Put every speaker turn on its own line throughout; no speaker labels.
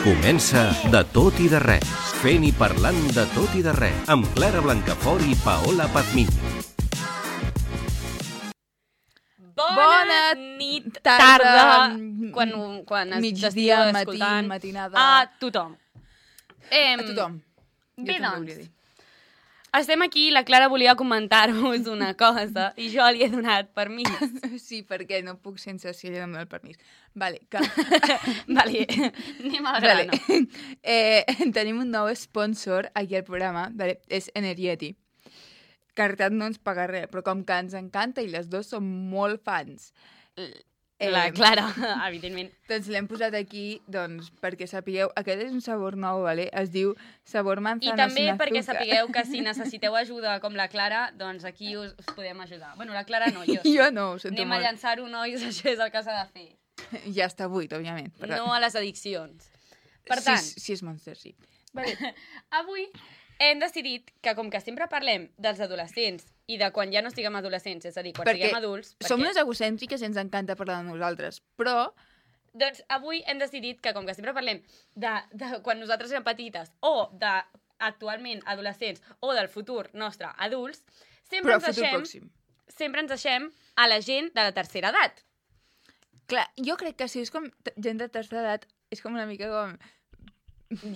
Comença De tot i de res, fent i parlant de tot i de res, amb Clara Blancafort i Paola Pazmiño.
Bona nit, tarda, quan
migdia, matí, matinada...
A tothom.
A tothom.
Bé, doncs, estem aquí, la Clara volia comentar-vos una cosa i jo li he donat permís.
Sí, perquè no puc sense si li dono el permís. Vale, que...
Vale, anem al grano.
Tenim un nou sponsor aquí al programa, vale? És Energeti. Que en realitat no ens paga res, però com que ens encanta i les dues som molt fans.
La Clara, evidentment.
Doncs l'hem posat aquí doncs, perquè sapigueu... Aquest és un sabor nou, vale? Es diu sabor manzana.
I també perquè sapigueu que si necessiteu ajuda com la Clara, doncs aquí us podem ajudar. Bueno, la Clara no, jo sí.
Jo no, ho sento
Anem
molt.
a llançar-ho, nois, això és el que s'ha de fer.
Ja està buit, òbviament. Però...
No a les addiccions. Per tant...
Si és Monster, sí.
Vale. Avui hem decidit que, com que sempre parlem dels adolescents i de quan ja no estiguem adolescents, és a dir, quan siguem adults...
Som unes egocèntriques i ens encanta parlar de nosaltres, però...
Doncs avui hem decidit que, com que sempre parlem de quan nosaltres érem petites o d'actualment adolescents o del futur nostre adults, sempre ens deixem a la gent de la tercera edat.
Clar, jo crec que si és com gent de tercera edat, és com una mica com...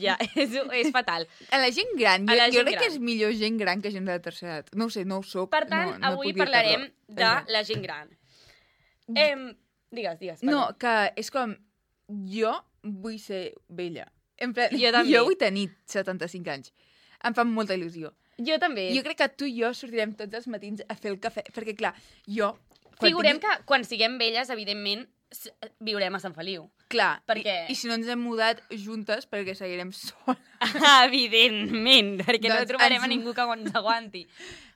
Ja, és fatal.
A la gent gran, jo crec que és millor gent gran que gent de la tercera edat. No ho sé, no ho soc.
Per tant,
no
avui parlarem de la gent gran. Digues. Perdó.
No, que és com... Jo vull ser vella. En plan,
jo també.
Jo vull tenir 75 anys. Em fa molta il·lusió.
Jo també.
Jo crec que tu i jo sortirem tots els matins a fer el cafè. Perquè, clar, jo...
Figurem que quan siguem velles, evidentment, viurem a Sant Feliu.
Clar,
perquè...
I si no ens hem mudat juntes perquè seguirem soles.
Evidentment, perquè no trobarem a ningú que ens aguanti.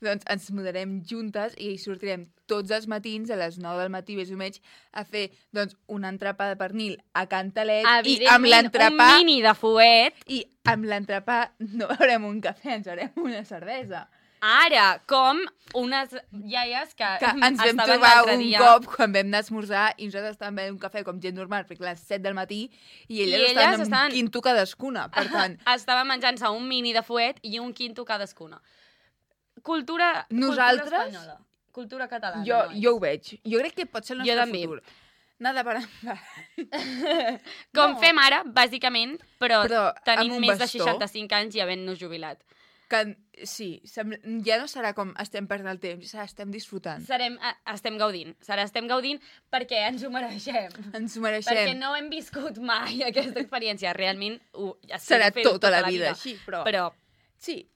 Doncs ens mudarem juntes i sortirem tots els matins a les 9 del matí, més o menys, a fer doncs, un entrepà de pernil a Cantalet i amb l'entrepà...
un mini de fuet.
I amb l'entrepà no beurem un cafè, ens beurem una cervesa.
Ara, com unes iaies que
ens vam trobar un cop quan vam anar a esmorzar i nosaltres estàvem bevent un cafè com gent normal, perquè a les 7 del matí, i elles estaven amb un quinto cadascuna, per tant...
Estava menjant-se un mini de fuet i un quinto cadascuna. Cultura espanyola. Cultura catalana.
Jo ho veig. Jo crec que pot ser el nostre futur. Nada per
com fem ara, bàsicament, però tenint més de 65 anys i havent-nos jubilat.
Sí, ja no serà com estem perdent el temps, estem disfrutant.
Estem gaudint perquè ens ho mereixem.
Ens ho mereixem.
Perquè no hem viscut mai aquesta experiència. Realment
serà tota la vida així, però... Sí.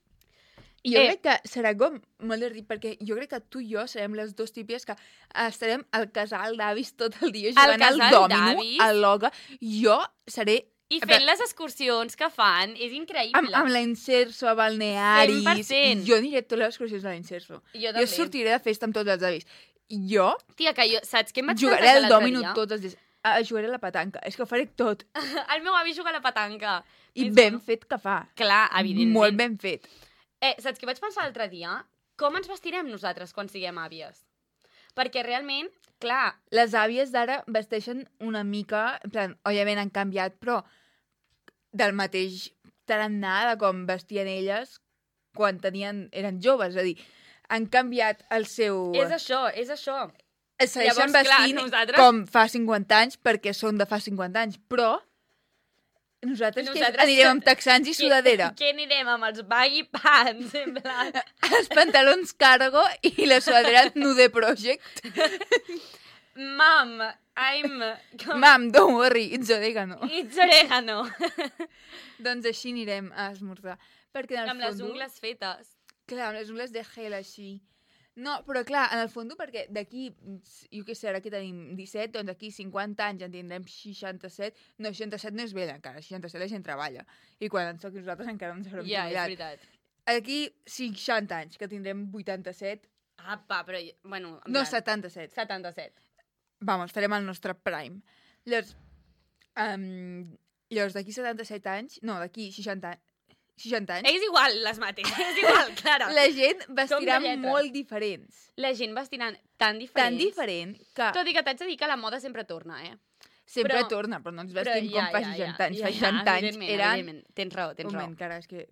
I jo crec que serà com molt divertit, perquè jo crec que tu i jo serem les dues típies que estarem al casal d'avis tot el dia jugant al dòmino, al loga. Jo seré...
I fent les excursions que fan, és increïble.
Amb l'Inserso, a balnearis...
100%.
Jo aniré a totes les excursions de l'Inserso.
Jo
sortiré de festa amb tots els avis. Jo...
Tia, que jo... Saps què em vaig
jugaré al dòmino tots els dies. Jugaré a la petanca. És que ho faré tot.
El meu avi juga a la petanca.
I ben fet que fa.
Clar, evidentment.
Molt ben fet.
Saps què vaig pensar l'altre dia? Com ens vestirem nosaltres quan siguem àvies? Perquè realment, clar...
Les àvies d'ara vesteixen una mica... En plan, òbviament han canviat, però del mateix tarannà de com vestien elles quan eren joves. És a dir, han canviat el seu...
És això.
Es segueixen vestint com fa 50 anys perquè són de fa 50 anys, però nosaltres anirem amb texans i sudadera.
Què anirem amb els baggy pants? En plan...
Els pantalons cargo i la sudadera Nude Project.
Mom,
don't worry, it's oregano.
It's oregano.
Doncs així anirem a esmorzar.
Amb les ungles fetes.
Clar, amb les ungles de gel així. No, però clar, en el fons, perquè d'aquí, jo què sé, ara que tenim 17, doncs d'aquí 50 anys en tindrem 67. No, 67 no és vella encara, 67 la gent treballa. I quan en soc nosaltres encara no ens haurem jubilat.
Ja, és veritat.
D'aquí 60 anys, que tindrem 87...
Apa, però, bueno...
No, 77.
77.
Vamos, farem el nostre prime. Llavors d'aquí 77 anys... No, d'aquí 60 anys...
És igual, les mateixes, és igual, Clara.
La gent vestirà molt diferents.
La gent vestirà tan diferents.
Tan diferent que...
Tot i que t'haig de dir que la moda sempre torna,
Sempre torna, però no ens vestim com fa 60 anys. Fa 60 anys eren...
Tens raó.
Un moment, cara, és que...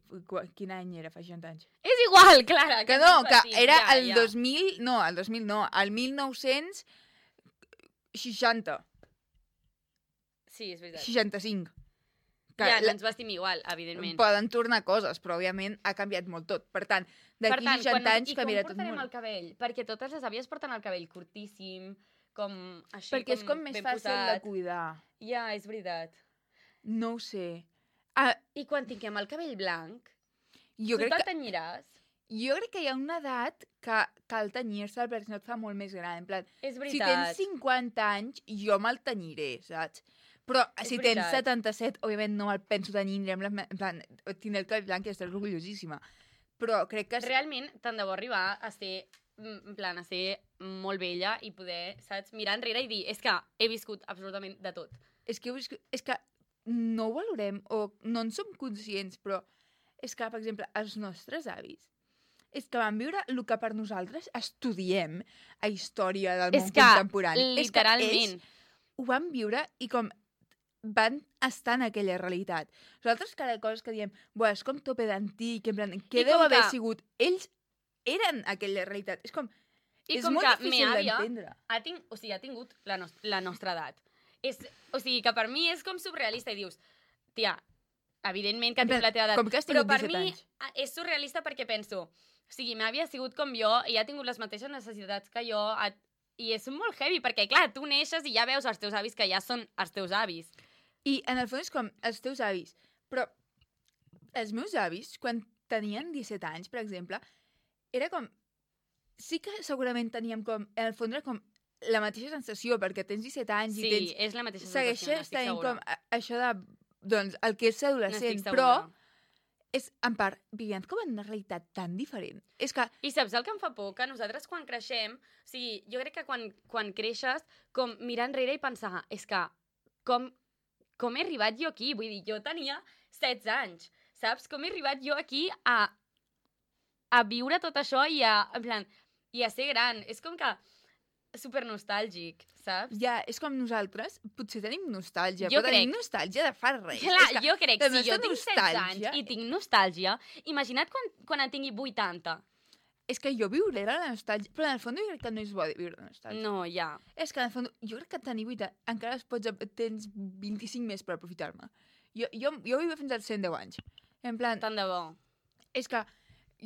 Quin any era fa 60 anys?
És igual, Clara.
Que no, que era el 2000... No, el 2000 no, el 1960.
Sí, és veritat.
65.
No ens vestim igual, evidentment.
Poden tornar coses, però òbviament ha canviat molt tot. Per tant, d'aquí 60 anys canviarà tot molt. I com
portarem el cabell? Perquè totes les àvies porten el cabell curtíssim, com així,
perquè és com més fàcil de cuidar.
Ja, és veritat.
No ho sé.
I quan tinguem el cabell blanc, tu te'l tenyiràs?
Jo crec que hi ha una edat que cal tenyir-se'l perquè no et fa molt més gran. En plan,
és veritat.
Si tens 50 anys, jo me'l tenyiré, saps? Però si tens 77, òbviament no me'l penso tenyir, en plan, tindré el cabell blanc i estaré orgullosíssima. Però crec que...
Realment, tant de bo arribar a ser, en plan, a ser molt vella i poder, saps, mirar enrere i dir, és que he viscut absolutament de tot.
És que no ho valorem o no en som conscients, però és que, per exemple, els nostres avis és que van viure el que per nosaltres estudiem a història del món contemporani.
Literalment.
És que ells ho van viure i com van estar en aquella realitat. Nosaltres cada cosa que diem, és com tope d'antic, en plan, què deu haver sigut? Ells eren aquella realitat. És com...
I com que me àvia ha tingut la nostra edat. O sigui, que per mi és com surrealista i dius, tia, evidentment que tinc la teva edat, però per mi és surrealista perquè penso, o sigui, m'àvia ha sigut com jo i ha tingut les mateixes necessitats que jo i és molt heavy perquè, clar, tu neixes i ja veus els teus avis que ja són els teus avis.
I en el fons és com els teus avis, però els meus avis, quan tenien 17 anys, per exemple, era com... Sí que segurament teníem com... En el fons era com la mateixa sensació, perquè tens 17 anys i tens...
Sí, és la mateixa sensació,
segueixes tenint com això de... Doncs el que és ser adolescent, però... És, en part, vivint com en una realitat tan diferent. És que...
I saps el que em fa por? Que nosaltres quan creixem... O sigui, jo crec que quan creixes, com mirar enrere i pensar, és que com he arribat jo aquí? Vull dir, jo tenia 16 anys, saps? Com he arribat jo aquí a viure tot això i a ser gran? És com que super nostàlgic, saps?
Ja, és com nosaltres, potser tenim nostàlgia, però tenim nostàlgia de fa res.
Clar, jo crec que si jo tinc 16 anys i tinc nostàlgia, imagina't quan en tingui 80.
És que jo viuré la nostàlgia, però en el fons jo crec que no és bo viure la nostàlgia.
No, ja.
És que en el fons, jo crec que tenir 8 encara tens 25 més per aprofitar-me. Jo vivo fins als 110 anys. En plan...
Tant de bo.
És que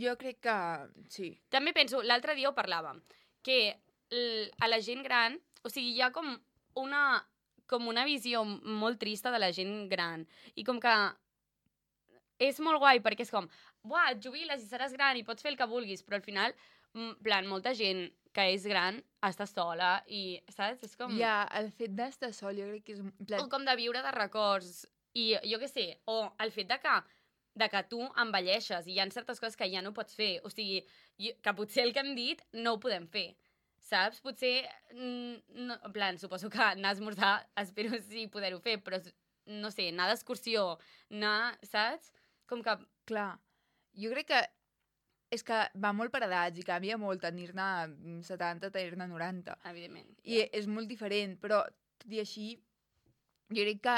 jo crec que... Sí.
També penso, l'altre dia ho parlàvem, que a la gent gran, o sigui, hi ha com una visió molt trista de la gent gran. I com que és molt guai, perquè és com, et jubiles i seràs gran i pots fer el que vulguis, però al final, plan, molta gent que és gran està sola i, saps? És com...
Ja, el fet d'estar sol jo crec que és...
O com de viure de records. I jo què sé, o el fet de que tu envelleixes i hi ha certes coses que ja no pots fer. O sigui, que potser el que hem dit no ho podem fer. Saps? Potser, no, en plan, suposo que anar a esmorzar, espero sí poder-ho fer, però no sé, anar d'excursió, anar, saps? Com que...
Clar, jo crec que és que va molt per edats i canvia molt tenir-ne 70, tenir-ne 90.
Evidentment.
I és molt diferent, però tot i així, jo crec que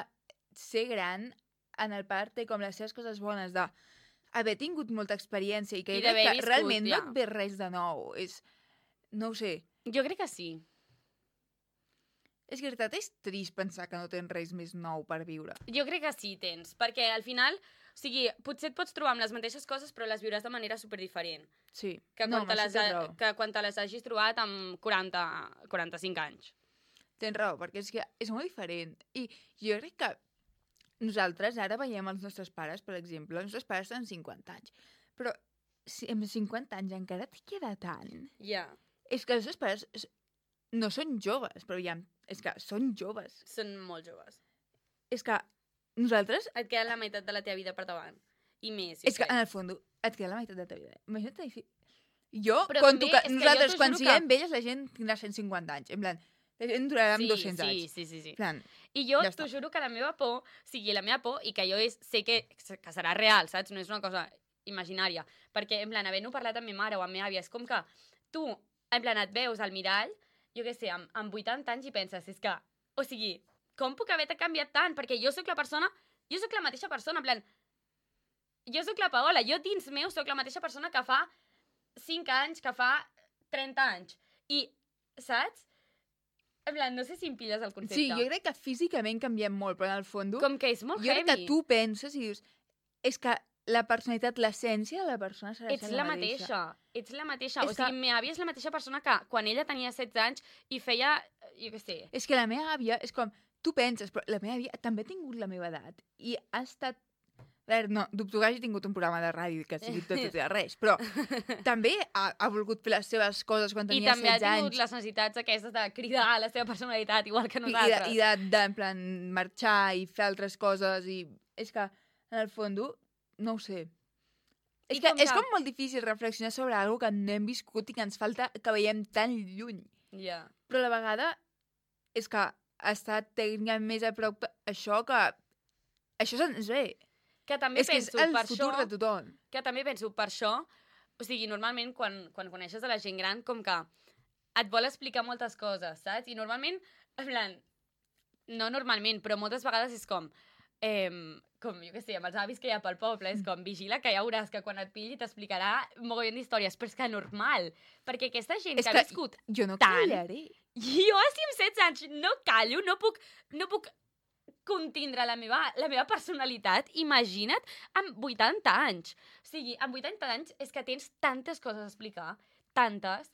ser gran en el part té com les seves coses bones d'haver tingut molta experiència i que, jo crec que realment no et ve res de nou. No ho sé.
Jo crec que sí.
És que, veritat, és trist pensar que no tens res més nou per viure.
Jo crec que sí tens, perquè al final, o sigui, potser et pots trobar amb les mateixes coses, però les viuràs de manera superdiferent.
Sí.
Que quan te les hagis trobat amb 45 anys.
Tens raó, perquè és que és molt diferent. I jo crec que nosaltres ara veiem els nostres pares, per exemple, els nostres pares tenen 50 anys, però si amb 50 anys encara et queda tant.
Ja.
És que els nostres pares no són joves, però ja, és que són joves.
Són molt joves.
És que nosaltres...
Et queda la meitat de la teva vida per davant. I més.
És que, en el fons, et queda la meitat de la teva vida. Imagina't jo, nosaltres, quan siguem velles, la gent tindrà 150 anys. En plan, la gent durarà 200 anys.
Sí.
Plan,
I jo t'ho juro que la meva por, i que jo sé que serà real, saps? No és una cosa imaginària. Perquè, en plan, havent-ho parlat amb ma mare o amb meva àvia, és com que tu, en plan, et veus al mirall, jo què sé, amb 80 anys i penses, és que, o sigui, com puc haver canviat tant? Perquè jo sóc la mateixa persona, en plan, jo sóc la Paola, jo dins meu sóc la mateixa persona que fa 5 anys, que fa 30 anys. I, saps? En plan, no sé si em pilles el concepte.
Sí, jo crec que físicament canviem molt, però en el fons...
Com que és molt heavy.
Jo crec que tu penses i dius... És que la personalitat, l'essència de la persona serà
la mateixa. Ets la mateixa. O sigui, la meva àvia és la mateixa persona que quan ella tenia 16 anys i feia... Jo què sé.
És que la meva àvia és com... Tu penses, però la meva àvia també ha tingut la meva edat. I ha estat... A veure, no, dubto que hagi tingut un programa de ràdio que sigui tot i res, però també ha volgut fer les seves coses quan tenia 16 anys.
I també ha tingut les necessitats aquestes de cridar la seva personalitat, igual que nosaltres.
I de en plan, marxar i fer altres coses. I és que, en el fons, no ho sé. És com molt difícil reflexionar sobre alguna que no hem viscut i que ens falta que veiem tan lluny.
Yeah.
Però a la vegada és que ha estat tècnicament més a prop això que... Això se'ns ve.
Que també
és
penso
que és el
per
futur
això,
de tothom.
Que també penso per això, o sigui, normalment quan coneixes a la gent gran, com que et vol explicar moltes coses, saps? I normalment, en plan, no normalment, però moltes vegades és com jo què sé, amb els avis que hi ha pel poble, és com, vigila que ja veuràs que quan et pilli t'explicarà mogollon d'històries, però és que normal, perquè aquesta gent que ha viscut
jo no
tant...
callaré.
Jo, si amb 16 anys no callo, no puc contindre la meva personalitat, imagina't, amb 80 anys. O sigui, amb 80 anys és que tens tantes coses a explicar, tantes.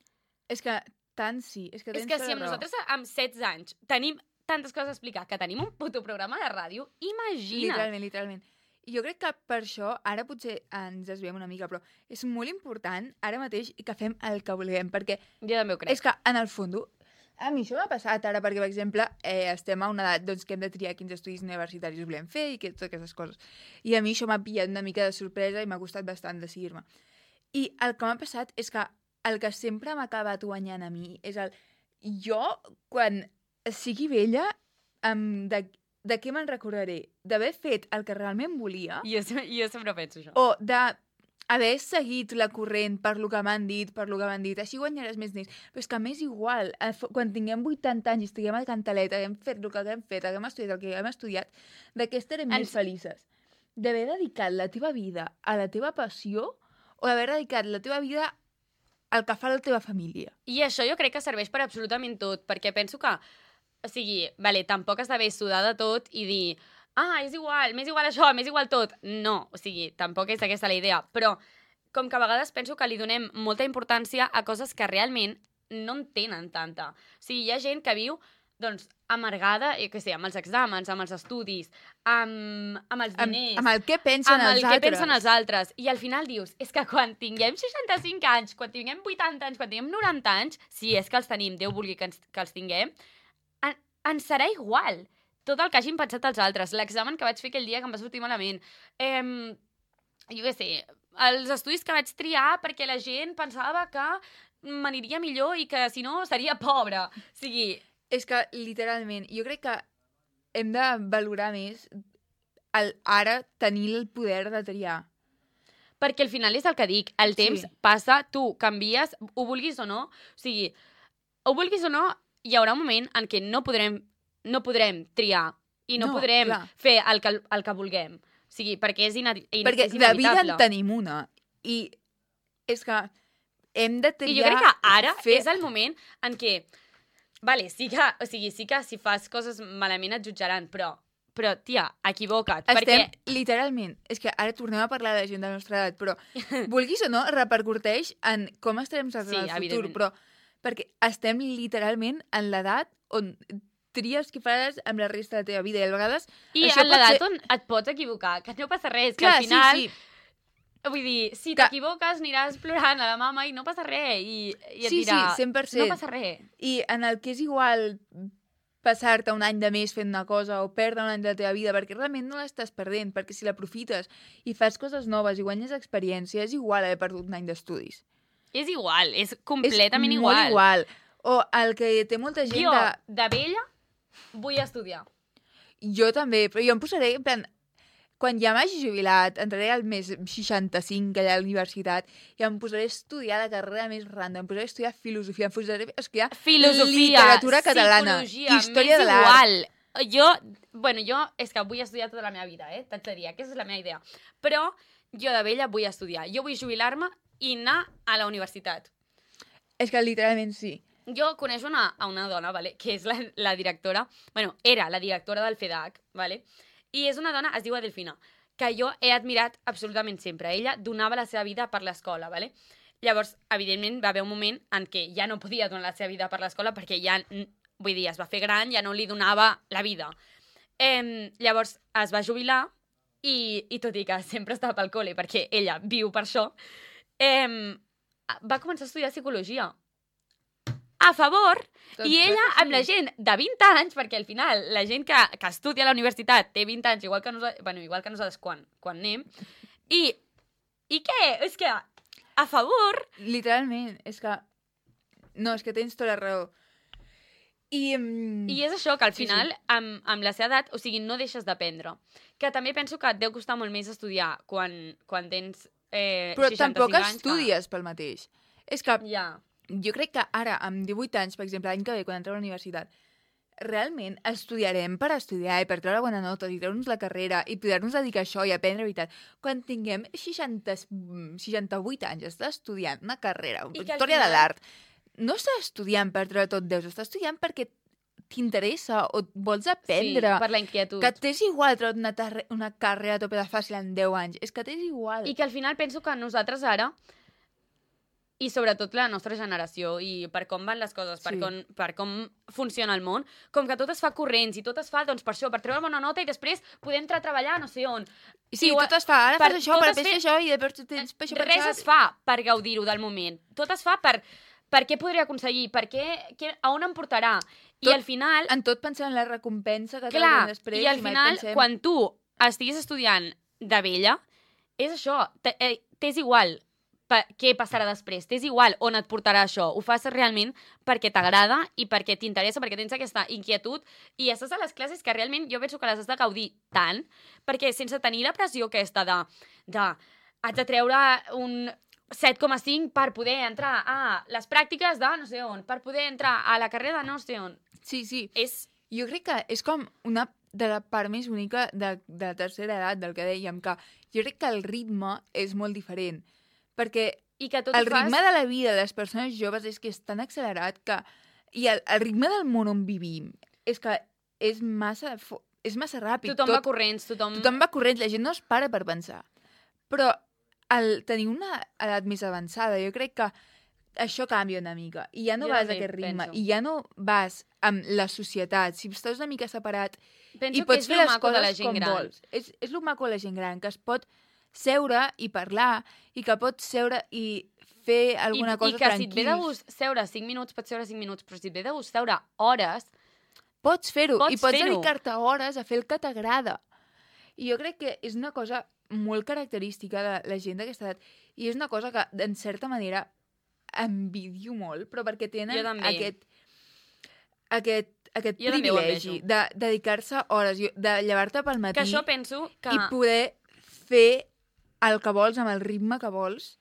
És que tant sí, és que tens
és que si amb nosaltres amb 16 anys tenim tantes coses a explicar, que tenim un puto programa de ràdio, imagina't.
Literalment. I jo crec que per això, ara potser ens desviem una mica, però és molt important ara mateix que fem el que vulguem, perquè...
Jo també ho crec.
És que, en el fons, a mi això m'ha passat ara, perquè, per exemple, estem a una edat doncs, que hem de triar quins estudis universitaris volem fer i totes aquestes coses. I a mi això m'ha pillat una mica de sorpresa i m'ha costat bastant decidir-me. I el que m'ha passat és que el que sempre m'ha acabat guanyant a mi és el... Jo, quan sigui vella, de què me'n recordaré? D'haver fet el que realment volia?
Jo sempre penso això.
O d'haver seguit la corrent per lo que m'han dit, així guanyaràs més diners. Però és que m'és igual, quan tinguem 80 anys i estiguem al Cantalet, haguem fet el que haguem fet, haguem estudiat el que haguem estudiat, de què estarem més felices? D'haver dedicat la teva vida a la teva passió o d'haver dedicat la teva vida al que fa la teva família?
I això jo crec que serveix per absolutament tot, perquè penso que, o sigui, vale, tampoc has d'haver sudat de tot i dir... és igual, m'és igual això, m'és igual tot. No, o sigui, tampoc és aquesta la idea. Però com que a vegades penso que li donem molta importància a coses que realment no en tenen tanta. O sigui, hi ha gent que viu, doncs, amargada, jo què sé, amb els exàmens, amb els estudis, amb els diners...
Amb el que pensen els altres.
Què pensen els altres. I al final dius, és que quan tinguem 65 anys, quan tinguem 80 anys, quan tinguem 90 anys, si és que els tenim, Déu vulgui que els tinguem, ens serà igual tot el que hagin pensat els altres. L'examen que vaig fer aquell dia que em va sortir malament. Jo què sé, els estudis que vaig triar perquè la gent pensava que m'aniria millor i que, si no, seria pobra. O sigui...
És que, literalment, jo crec que hem de valorar més ara tenir el poder de triar.
Perquè al final és el que dic, el temps passa, tu canvies, ho vulguis o no. O sigui, ho vulguis o no, hi haurà un moment en què no podrem triar i no podrem fer el que vulguem. O sigui, perquè és inevitable.
Perquè de vida en tenim una. I és que hem de triar...
I jo crec que ara és el moment en què... Vale, sí que si fas coses malament et jutjaran, però tia, equivoca't.
Literalment, és que ara tornem a parlar de la gent de la nostra edat, però vulguis o no, repercuteix en com estarem nosaltres en el futur, però perquè estem literalment en l'edat on tries què faràs amb la resta de la teva vida, i a vegades...
I en l'edat on et pots equivocar, que no passa res, que al final... Sí. Vull dir, si t'equivoques aniràs plorant a la mama i no passa res, i et dirà,
100%.
no passa res.
I en el que és igual passar-te un any de més fent una cosa o perdre un any de la teva vida, perquè realment no l'estàs perdent, perquè si l'aprofites i fas coses noves i guanyes experiència, és igual haver perdut un any d'estudis.
És igual, és completament igual.
És molt igual. O el que té molta gent
jo, de vella, vull estudiar.
Jo també, però jo em posaré, en plan, quan ja m'hagi jubilat, entraré al mes 65 allà a la universitat i em posaré a estudiar la carrera més random, em posaré a estudiar filosofia, em posaré a estudiar literatura catalana, història de l'art.
és que vull estudiar tota la meva vida, t'haig de dir, aquesta és la meva idea. Però jo de vella vull estudiar. Jo vull jubilar-me i anar a la universitat.
És que literalment sí.
Jo coneixo a una dona, vale, que és la directora, era la directora del FEDAC, vale, i és una dona, es diu Adelfina, que jo he admirat absolutament sempre. Ella donava la seva vida per l'escola, vale? Llavors, evidentment, va haver un moment en què ja no podia donar la seva vida per l'escola perquè ja, vull dir, es va fer gran, ja no li donava la vida. Llavors, es va jubilar i tot i que sempre estava pel col·le perquè ella viu per això, va començar a estudiar psicologia. A favor, i ella amb la gent de 20 anys, perquè al final la gent que estudia a la universitat té 20 anys, igual que nosaltres quan anem, i què? És que a favor...
Literalment, és que... No, és que tens tota la raó. I
és això, que al final, amb la seva edat, o sigui, no deixes d'aprendre. Que també penso que et deu costar molt més estudiar quan tens 65 anys.
Però tampoc estudies pel mateix. És que...
Ja.
Jo crec que ara, amb 18 anys, per exemple, l'any que ve, quan entreu a la universitat, realment estudiarem per estudiar i per treure bona nota i treure'ns la carrera i poder-nos dedicar a això i aprendre veritat. Quan tinguem 68 anys, estàs estudiant una carrera, una història de l'art, no estàs estudiant per treure tot 10, estàs estudiant perquè t'interessa o vols aprendre.
Sí, per la inquietud.
Que t'és igual treure una carrera a tope de fàcil en 10 anys. És que t'és igual.
I que al final penso que nosaltres ara, i sobretot la nostra generació, i per com van les coses, per com funciona el món, com que tot es fa corrents i tot es fa, doncs, per això, per treure bona nota i després poder entrar a treballar no sé on.
Sí, tot es fa, ara fas això, per fer això, i després tens per això pensat.
Res es fa per gaudir-ho del moment. Tot es fa per què podria aconseguir, a on em portarà. I al final...
En tot pensant en la recompensa que t'haurem després.
I al final, quan tu estiguis estudiant de vella, és això, t'és igual què passarà després. T'és igual on et portarà això. Ho fas realment perquè t'agrada i perquè t'interessa, perquè tens aquesta inquietud i estàs a les classes que realment jo penso que les has de gaudir tant, perquè sense tenir la pressió aquesta de haig de treure un 7,5 per poder entrar a les pràctiques de no sé on, per poder entrar a la carrera de no sé on.
Sí. Jo crec que és com una de la part més única de la tercera edat, del que dèiem, que jo crec que el ritme és molt diferent. Perquè el ritme de la vida de les persones joves és que és tan accelerat que... I el ritme del món on vivim és que és massa ràpid.
Tothom va corrents.
Tothom va corrents, la gent no es para per pensar. Però al tenir una edat més avançada, jo crec que això canvia una mica. I ja no vas a aquest ritme. I ja no vas amb la societat. Si estàs una mica separat i pots fer les coses com vols. És el maco de la gent gran, que es pot seure i parlar, i que pots seure i fer alguna cosa tranquil.
I que si et ve de gust seure 5 minuts, pots seure 5 minuts, però si et ve de gust seure hores...
Pots fer-ho, i pots dedicar-te hores a fer el que t'agrada. I jo crec que és una cosa molt característica de la gent d'aquesta edat, i és una cosa que, en certa manera, envidio molt, però perquè tenen aquest privilegi de dedicar-se hores, de llevar-te pel matí
que això penso que...
i poder fer el que vols amb el ritme que vols,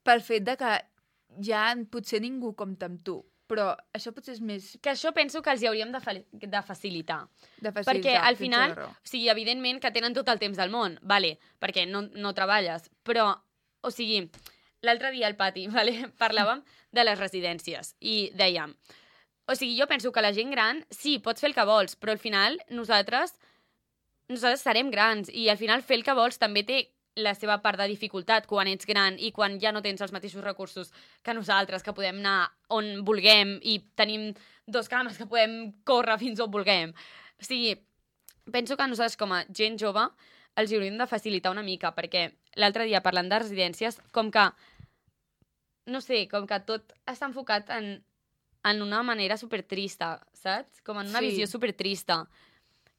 pel fet de que ja potser ningú compta amb tu. Però això potser és més...
Que això penso que els hi hauríem de facilitar. Perquè al final, o sigui, evidentment que tenen tot el temps del món, vale, perquè no treballes, però, o sigui, l'altre dia al pati, vale, parlàvem de les residències i dèiem, o sigui, jo penso que la gent gran, sí, pots fer el que vols, però al final nosaltres serem grans i al final fer el que vols també té la seva part de dificultat quan ets gran i quan ja no tens els mateixos recursos que nosaltres, que podem anar on vulguem i tenim 2 cames que podem córrer fins on vulguem. O sigui, penso que nosaltres com a gent jove els hauríem de facilitar una mica, perquè l'altre dia parlant de residències, com que, no sé, com que tot està enfocat en una manera supertrista, saps? Com en una visió supertrista.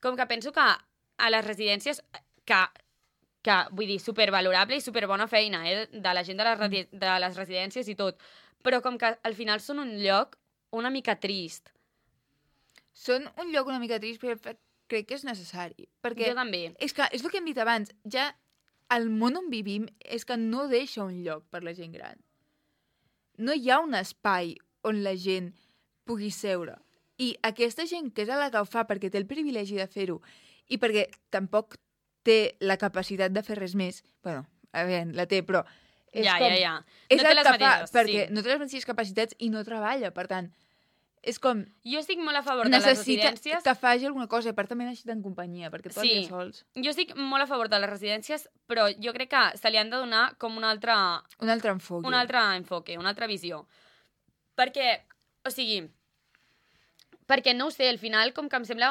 Com que penso que a les residències, que vull dir, supervalorable i superbona feina, de la gent de les residències i tot, però com que al final són un lloc una mica trist.
Són un lloc una mica trist, però crec que és necessari. Perquè
jo també.
És que és el que hem dit abans, ja el món on vivim és que no deixa un lloc per la gent gran. No hi ha un espai on la gent pugui seure. I aquesta gent que és la que ho fa perquè té el privilegi de fer-ho i perquè tampoc té la capacitat de fer res més, bueno, a veure, la té, però és
ja.
És
no té les mateixes,
perquè no té les mateixes capacitats i no treballa, per tant, és com...
Jo estic molt a favor de les residències...
Necessita que faci alguna cosa, i per també necessita en companyia, perquè tot el dia sols.
Jo estic molt a favor de les residències, però jo crec que se li han de donar com un altre enfoque. Un altra visió. Perquè, o sigui... Perquè no ho sé, al final com que em sembla...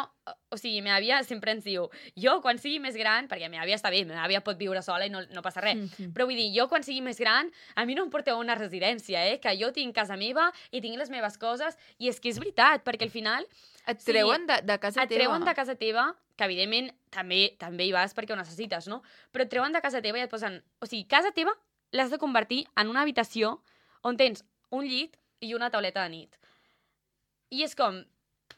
O sigui, meva àvia sempre ens diu jo quan sigui més gran, perquè meva àvia està bé, meva àvia pot viure sola i no passa res, però vull dir, jo quan sigui més gran, a mi no em porteu a una residència, que jo tinc casa meva i tinc les meves coses, i és que és veritat, perquè al final...
Et treuen de casa teva.
Et treuen de casa teva, que evidentment també hi vas perquè ho necessites, no? Però et treuen de casa teva i et posen... O sigui, casa teva l'has de convertir en una habitació on tens un llit i una tauleta de nit. I és com...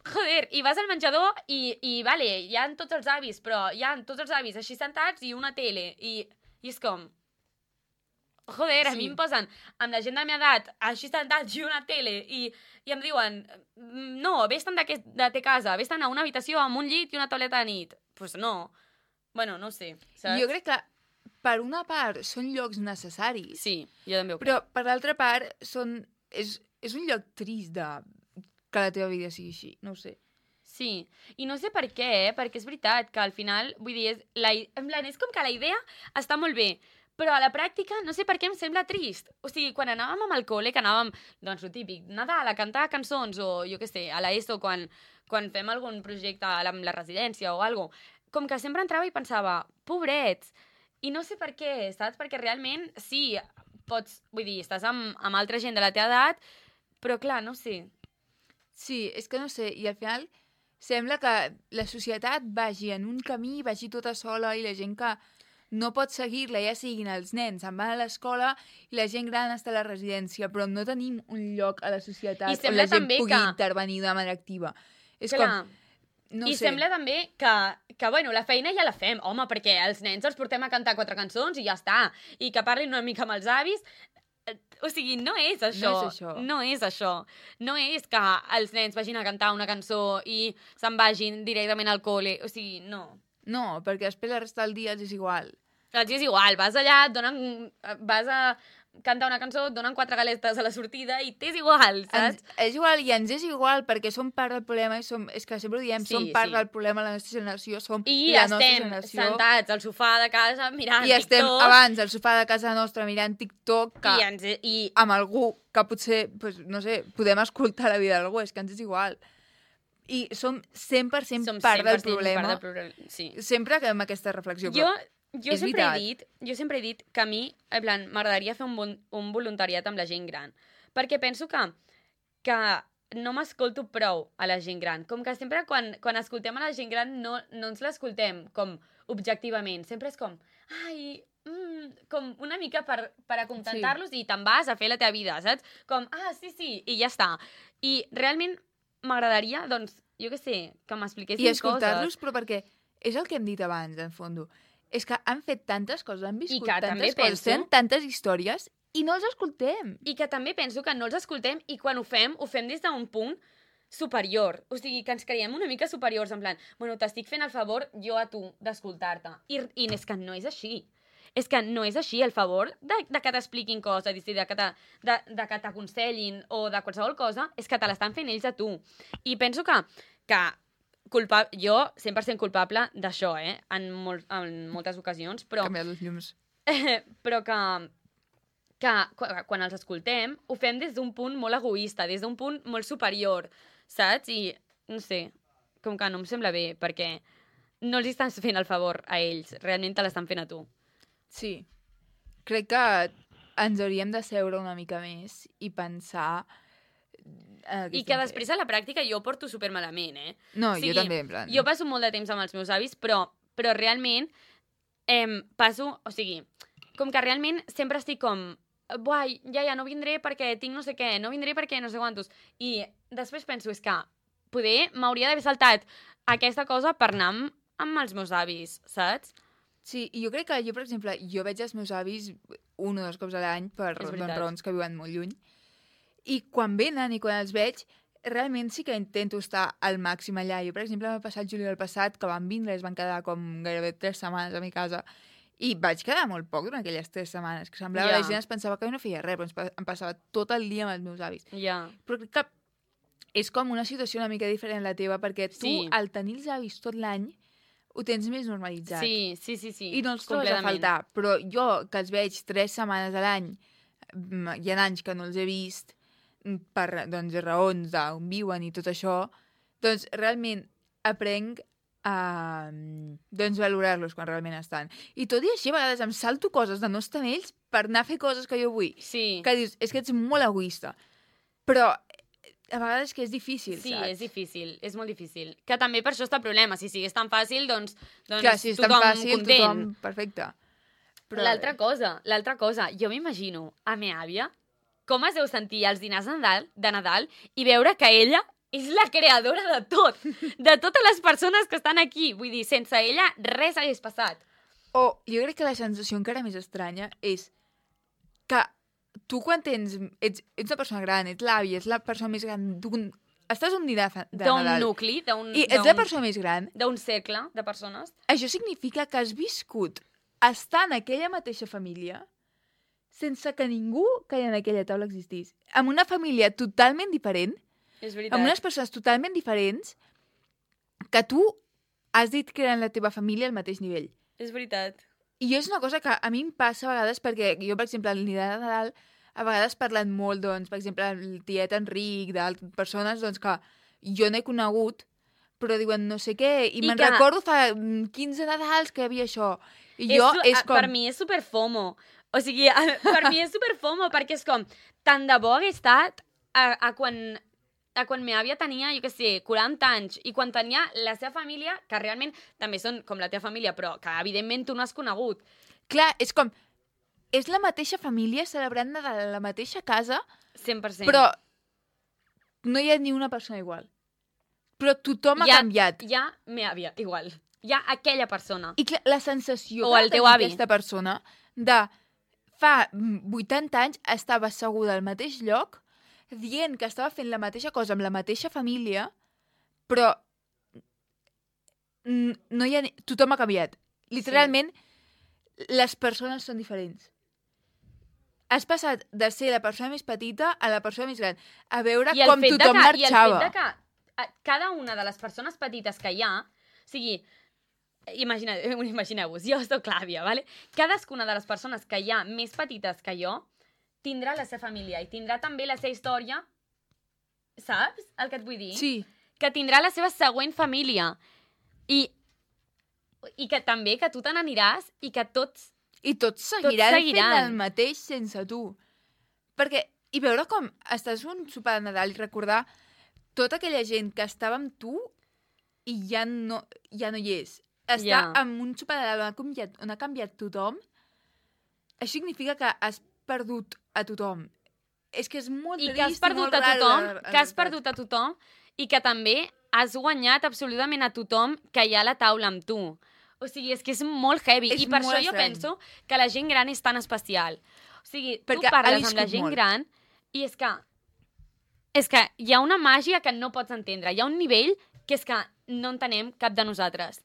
Joder, i vas al menjador i vale, hi ha tots els avis, però hi ha tots els avis així sentats i una tele. I és com... Joder, a mi em posen amb la gent de la meva edat així sentats i una tele i em diuen no, vés-te'n de te casa, vés-te'n a una habitació amb un llit i una tauleta de nit. Pues no. Bueno, no sé, saps?
Jo crec que per una part són llocs necessaris.
Sí, jo també ho crec.
Però per l'altra part és un lloc trist que la teva vida sigui així, no ho sé.
Sí, i no sé per què, perquè és veritat que al final, vull dir, és com que la idea està molt bé, però a la pràctica no sé per què em sembla trist. O sigui, quan anàvem amb el col·le, que anàvem, doncs, el típic, Nadal, a cantar cançons, o jo què sé, a l'ESO, quan fem algun projecte amb la residència o alguna cosa, com que sempre entrava i pensava, pobrets, i no sé per què, saps? Perquè realment, sí, pots, vull dir, estàs amb altra gent de la teva edat, però clar, no sé.
Sí, és que no sé, i al final sembla que la societat vagi en un camí, vagi tota sola, i la gent que no pot seguir-la, ja siguin els nens, se'n van a l'escola i la gent gran està a la residència, però no tenim un lloc a la societat on la gent pugui intervenir de manera activa. És com... No sé.
Sembla també que, bueno, la feina ja la fem, home, perquè els nens els portem a cantar 4 cançons i ja està, i que parlin una mica amb els avis. O sigui, no és això. No és això. No és que els nens vagin a cantar una cançó i se'n vagin directament al col·le. O sigui, no.
No, perquè després la resta del dia els és igual.
Els és igual. Vas allà, vas a cantar una cançó, et donen 4 galetes a la sortida i t'és igual, saps?
És igual, i ens és igual perquè som part del problema i és que sempre ho diem, som part del problema de la nostra generació, som la nostra generació.
I estem sentats al sofà de casa mirant TikTok.
I estem abans al sofà de casa nostra mirant TikTok amb algú que potser, pues, no sé, podem escoltar la vida d'algú, és que ens és igual. I som 100% part del problema.
Sí.
Sempre que amb aquesta reflexió.
Jo sempre he dit que a mi, en plan, m'agradaria fer un voluntariat amb la gent gran. Perquè penso que no m'escolto prou a la gent gran. Com que sempre quan escoltem a la gent gran no ens l'escoltem com objectivament. Sempre és com, com una mica per acontentar-los i te'n vas a fer la teva vida, saps? Com, sí, i ja està. I realment m'agradaria, doncs, jo què sé, que m'expliquessin coses.
I escoltar-los, però perquè és el que hem dit abans, en fons. És que han fet tantes coses, han viscut tantes coses, tenen tantes històries i no els escoltem.
I que també penso que no els escoltem i quan ho fem des d'un punt superior. O sigui, que ens creiem una mica superiors, en plan, bueno, t'estic fent el favor jo a tu d'escoltar-te. I és que no és així. És que no és així. El favor de que t'expliquin coses, de que t'aconsellin o de qualsevol cosa, és que te l'estan fent ells a tu. I penso que jo 100% culpable d'això, en moltes ocasions, però...
Canviar els llums.
Però que quan els escoltem ho fem des d'un punt molt egoista, des d'un punt molt superior, saps? I, no sé, com que no em sembla bé, perquè no els estàs fent el favor a ells, realment te l'estan fent a tu.
Sí. Crec que ens hauríem de seure una mica més i pensar...
I que després a la pràctica jo ho porto supermalament,
No, jo també, en plan...
Jo passo molt de temps amb els meus avis, però realment passo... O sigui, com que realment sempre estic com... Buai, ja, no vindré perquè tinc no sé què, no vindré perquè no sé quantos. I després penso, és que poder m'hauria d'haver saltat aquesta cosa per anar amb els meus avis, saps?
Sí, i jo crec que jo, per exemple, jo veig els meus avis 1 o 2 cops a l'any per raons que viuen molt lluny. I quan venen i quan els veig, realment sí que intento estar al màxim allà. Jo, per exemple, m'ha passat juliol passat, que van vindre i es van quedar com gairebé 3 setmanes a mi casa, i vaig quedar molt poc durant aquelles 3 setmanes, que semblava que la gent es pensava que no feia res, però em passava tot el dia amb els meus avis. Però crec que és com una situació una mica diferent a la teva, perquè tu, al tenir els avis tot l'any, ho tens més normalitzat.
Sí.
I no els trobes a faltar. Però jo, que els veig 3 setmanes a l'any, hi ha anys que no els he vist, per doncs, raons d'on viuen i tot això, doncs realment aprenc a valorar-los quan realment estan. I tot i així, a vegades em salto coses de no estar amb ells per anar a fer coses que jo vull.
Sí.
Que dius, és que ets molt egoista. Però a vegades que és difícil,
saps?
Sí,
és difícil, és molt difícil. Que també per això està el problema. Si sigués tan fàcil, doncs
clar, si és
tothom
tan fàcil,
content.
Tothom perfecte.
Però l'altra cosa, jo m'imagino a meva àvia com es deu sentir als dinars de Nadal i veure que ella és la creadora de tot, de totes les persones que estan aquí. Vull dir, sense ella res hagués passat.
Jo crec que la sensació encara més estranya és que tu quan ets una persona gran, ets l'àvia, ets la persona més gran estàs un dinar de Nadal.
D'un nucli,
i ets la persona més gran.
D'un cercle de persones.
Això significa que has viscut estar en aquella mateixa família sense que ningú que hi ha en aquella taula existís. Amb una família totalment diferent,
és veritat.
Amb unes persones totalment diferents, que tu has dit que eren la teva família al mateix nivell.
És veritat.
I és una cosa que a mi em passa a vegades, perquè jo, per exemple, al dinar de Nadal, a vegades parlen molt, doncs, per exemple, el tiet Enric, d'altres persones, doncs, que jo no he conegut, però diuen no sé què, i me'n recordo fa 15 Nadals que hi havia això. I jo és com...
Per mi és superfomo. O sigui, per mi és superfomo, perquè és com, tant de bo hagués estat a quan meva àvia tenia, jo què sé, 40 anys, i quan tenia la seva família, que realment també són com la teva família, però que evidentment tu no has conegut.
Clar, és com... És la mateixa família celebrant de la mateixa casa,
100%.
Però no hi ha ni una persona igual. Però tothom ha canviat.
Hi ha meva àvia, igual. Hi ha aquella persona.
I clar, la sensació
o el teu avi.
Aquesta persona de fa 80 anys estava asseguda al mateix lloc, dient que estava fent la mateixa cosa amb la mateixa família, però no hi ha... Tothom ha canviat. Literalment, les persones són diferents. Has passat de ser la persona més petita a la persona més gran. A veure com tothom marxava.
I el fet que cada una de les persones petites que hi ha, o sigui, imagineu-vos, jo soc l'àvia, ¿vale? Cadascuna de les persones que hi ha més petites que jo tindrà la seva família i tindrà també la seva història, saps el que et vull dir?
Sí.
Que tindrà la seva següent família i que també que tu te n'aniràs i que tots
seguiran fent el mateix sense tu. Perquè, i veure com estàs un sopar de Nadal i recordar tota aquella gent que estava amb tu i ja no hi és. Estar en un sopar de Nadal on ha canviat tothom, això significa que has perdut a tothom. És que és molt trist i molt rar.
Que has perdut a tothom i que també has guanyat absolutament a tothom que hi ha a la taula amb tu. O sigui, és que és molt heavy. I per això jo penso que la gent gran és tan especial. O sigui, tu parles amb la gent gran i és que hi ha una màgia que no pots entendre. Hi ha un nivell que és que no entenem cap de nosaltres.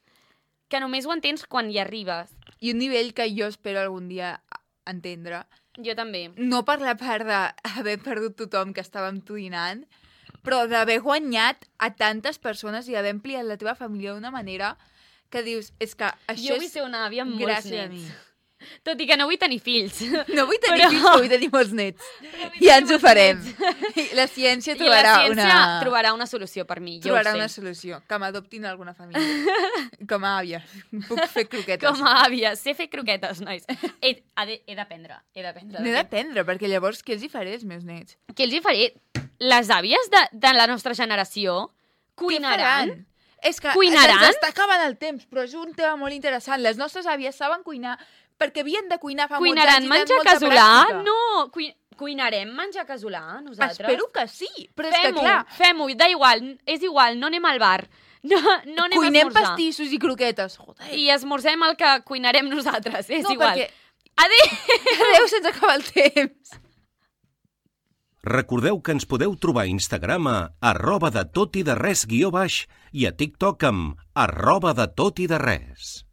Que només ho entens quan hi arribes.
I un nivell que jo espero algun dia entendre.
Jo també.
No per la part d'haver perdut tothom que estava amb tu dinant, però d'haver guanyat a tantes persones i d'haver ampliat la teva família d'una manera que dius, és que això
jo vull ser una àvia amb molts nets.
A mi.
Tot i que no vull tenir fills.
No vull tenir fills, però vull tenir molts nets. Ja ens ho farem. La ciència
trobarà una solució per mi, jo ho sé.
Trobarà una solució. Que m'adoptin alguna família. Com a àvia. Puc fer croquetes.
Com a àvia. Sé fer croquetes, nois. He d'aprendre.
N'he d'aprendre, perquè llavors què els hi faré als meus nets?
Què els hi faré? Les àvies de la nostra generació cuinaran?
És que se'ns està acabant el temps, però és un tema molt interessant. Les nostres àvies saben cuinar perquè havien de cuinar fa molts anys i tenen molta pràctica.
No, cuinarem menjar casolà, nosaltres.
Espero que sí, però és que clar...
Fem-ho, és igual, no anem al bar. No anem a esmorzar.
Cuinem pastissos i croquetes. Joder.
I esmorzem el que cuinarem nosaltres, és igual.
Perquè... Adéu, se'ns acaba el temps.
Recordeu que ens podeu trobar a Instagram a @detotide_res_ i a TikTok amb @detotide_res.